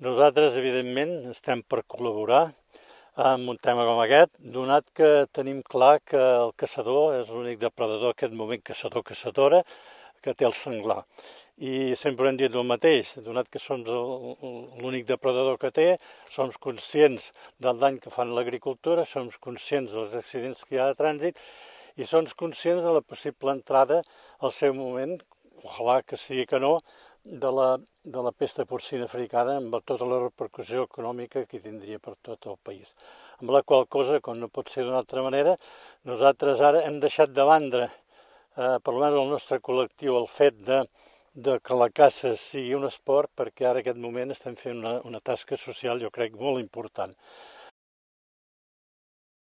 Nosaltres, evidentment, estem per col·laborar en un tema com aquest, donat que tenim clar que el caçador és l'únic depredador en aquest moment, caçador-caçadora, que té el senglar. I sempre hem dit el mateix, donat que som l'únic depredador que té, som conscients del dany que fan l'agricultura, som conscients dels accidents que hi ha de trànsit i som conscients de la possible entrada al seu moment, ojalà que sigui que no, de la pesta porcina africana amb tota la repercussió econòmica que tindria per tot el país. Amb la qual cosa, com no pot ser d'una altra manera, nosaltres ara hem deixat de banda, per almenys el nostre col·lectiu, el fet de que la caça sigui un esport, perquè ara en aquest moment estem fent una tasca social, jo crec, molt important.